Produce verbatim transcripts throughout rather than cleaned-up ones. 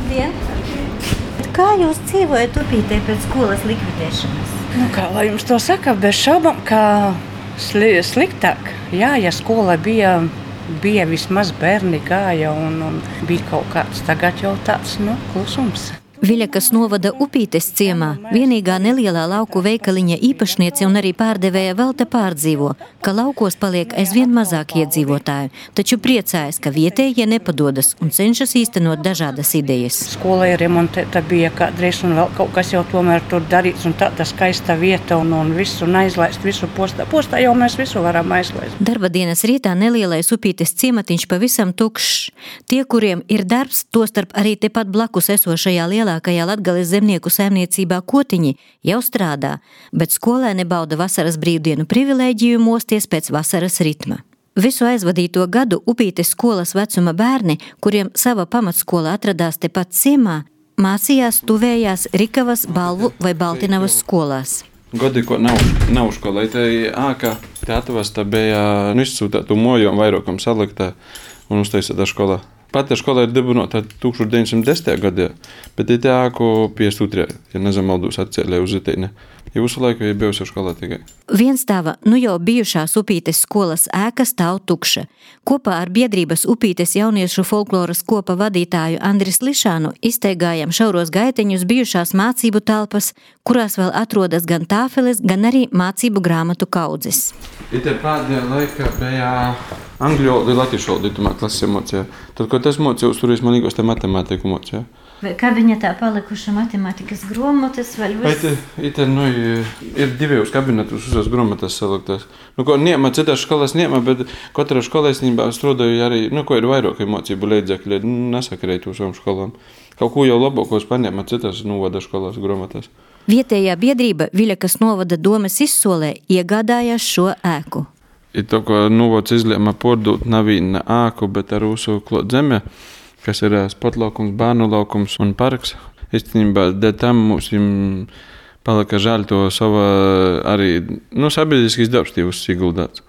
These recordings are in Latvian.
Labdien! Kā jūs dzīvojat Upītē pēc skolas likvidēšanas? Nu, kā lai jums to saka, bez šaubām, ka sli, sliktāk. Jā, ja skola bija, bija vismaz bērni gāja un, un bija kaut kāds, tagad jau tāds, nu, klusums. Viļakas novada Upītes ciemā vienīgā nelielā lauku veikaliņa īpašniece un arī pārdevēja vēl te pārdzīvo, ka laukos paliek aizvien mazāk iedzīvotāju, taču priecājas, ka vietējie nepadodas un cenšas īstenot dažādas idejas. Skola ir remontēta bija kādreiz un vēl kaut kas jau tomēr tur darīts un tāda skaista vieta un, un visu un aizlaist, visu postā. Postā jau mēs visu varam aizlaist. Darba dienas rītā nelielais Upītes ciematiņš pavisam tukšs. Tie, kuriem ir darbs, tostarp arī tepat blakus esošajā lielā Lielākajā Latgales zemnieku saimniecībā Kotiņi jau strādā, bet skolēni bauda vasaras brīvdienu privilēģiju mosties pēc vasaras ritma. Visu aizvadīto gadu Upītes skolas vecuma bērni, kuriem sava pamatskola atradās tepat ciemā, mācījās tuvējās Rikavas, Balvu vai Baltinavas skolās. Godi, ko nav, nav skolai, te āka teatavas, tā bija izsūtātu mojumu vairākam saliktā un uztaisītā skolā. Pati skola ir dibināta tūkstoš deviņsimt desmitajā gadā, bet ir tā, ko piecdesmit otrajā, ja nezamaldūs atcēlē uz Itīni. Ja visu laiku ir bijusi skolā tikai. Vienstāva, nu jau bijušās Upītes skolas ēka stāv tukša. Kopā ar biedrības Upītes jauniešu folkloras kopa vadītāju Andris Lišānu izteigājam šauros gaiteņus bijušās mācību telpas, kurās vēl atrodas gan tāfeles, gan arī mācību grāmatu kaudzes. Ite pēdējā laikā bija angļu valoda un latviešu valoda itumā klases mocīja. Tad, ko tas mocījos, tur es man līgos te matemātiku mocīja. Vai kā viņa tā palikuša matemātikas grāmatas vēl viss? Ite, ite, nu, ir divējos kabinetus uzas grāmatas saliktās. Nu, ko niema, citās skolās niema, bet katrā skolā īstenībā strādāju arī, nu, ko ir vairāk mācību līdzekļi, nesakarēt uz savām skolām. Kaut ko jau labākos paņēma citās novada skolās grāmatās. Vietējā biedrība Viļakas novada domes izsolē iegādājās šo ēku. Ir to, ko novads izlēma pārdot nevienu ēku, bet ar mūsu klāt zeme, kas ir sportlaukums, bērnu laukums un parks. Īstenībā, dēļ tam mums palika žēl to sava arī, nu, sabiedriskīs darbs tīvus ieguldāts.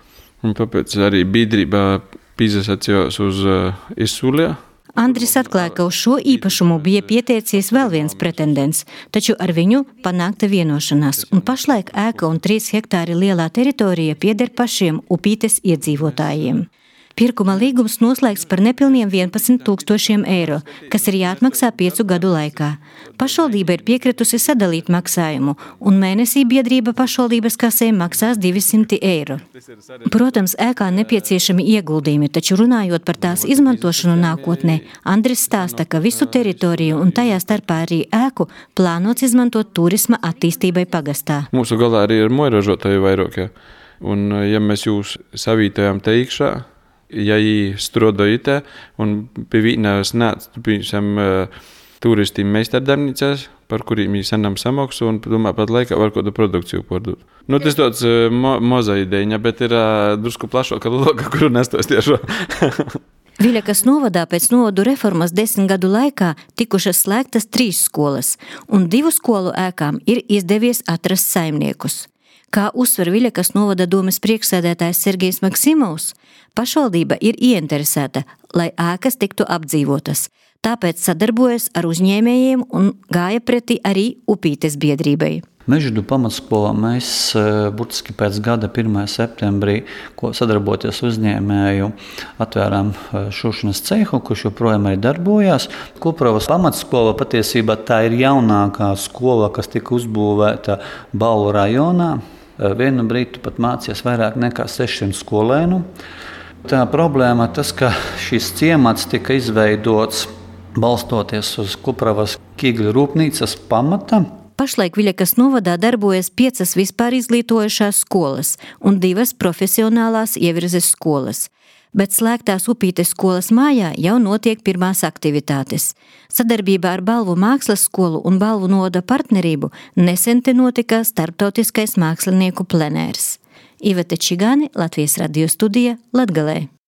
Un tāpēc arī biedrība pīzasacījās uz uh, izsolē. Andris atklāja, ka uz šo īpašumu bija pieteicies vēl viens pretendents, taču ar viņu panākta vienošanās, un pašlaik ēka un trīs hektāri lielā teritorija pieder pašiem Upītes iedzīvotājiem. Pirkuma līgums noslēgts par nepilniem vienpadsmit tūkstošiem eiro, kas ir jāatmaksā piecu gadu laikā. Pašvaldība ir piekritusi sadalīt maksājumu, un mēnesī biedrība pašvaldības kasē maksās divsimt eiro. Protams, ēkā nepieciešami ieguldījumi, taču runājot par tās izmantošanu nākotnē, Andris stāsta, ka visu teritoriju un tajā starpā arī ēku plānots izmantot turisma attīstībai pagastā. Mūsu galā arī ir moiražotāji vairākie, un ja mēs jūs savītojam te iekšā, ja jī strādāja te un pie vienas nāc, piemēram, turistīm meistardarbnīcās, par kuriem jī senam samaksu un, domāju, pat laikā var kādu produkciju pārdot. Nu, tas tāds mo, moza ideja, bet ir drusku plašāka loga, kuru nestos tiešo. Viļakas novadā pēc novadu reformas desmit gadu laikā tikušas slēgtas trīs skolas, un divu skolu ēkām ir izdevies atrast saimniekus. Kā uzsver Viļakas novada domes priekšsēdētājs Sergejs Maksimovs, pašvaldība ir ieinteresēta, lai ēkas tiktu apdzīvotas, tāpēc sadarbojas ar uzņēmējiem un gāja pretī arī Upītes biedrībai. Mežģīdu pamatskolā mēs burtiski pēc gada pirmā septembrī, ko sadarboties uzņēmēju, atvērām šūšanas cehu, kurš joprojām arī darbojās. Kupravas pamatskola patiesībā tā ir jaunākā skola, kas tika uzbūvēta Balvu rajonā. Vienu brīdi pat mācījās vairāk nekā sešsimt skolēnu. Tā problēma tas, ka šis ciemats tika izveidots balstoties uz Kupravas Kīgļu rūpnīcas pamata. Pašlaik Viļakas novadā darbojas piecas vispār izglītojušās skolas un divas profesionālās ievirzes skolas. Bet slēgtās Upītes skolas mājā jau notiek pirmās aktivitātes. Sadarbībā ar Balvu mākslas skolu un Balvu novada partnerību nesen te notika starptautiskais mākslinieku plenērs. Iveta Čigāne, Latvijas radio studija, Latgalē.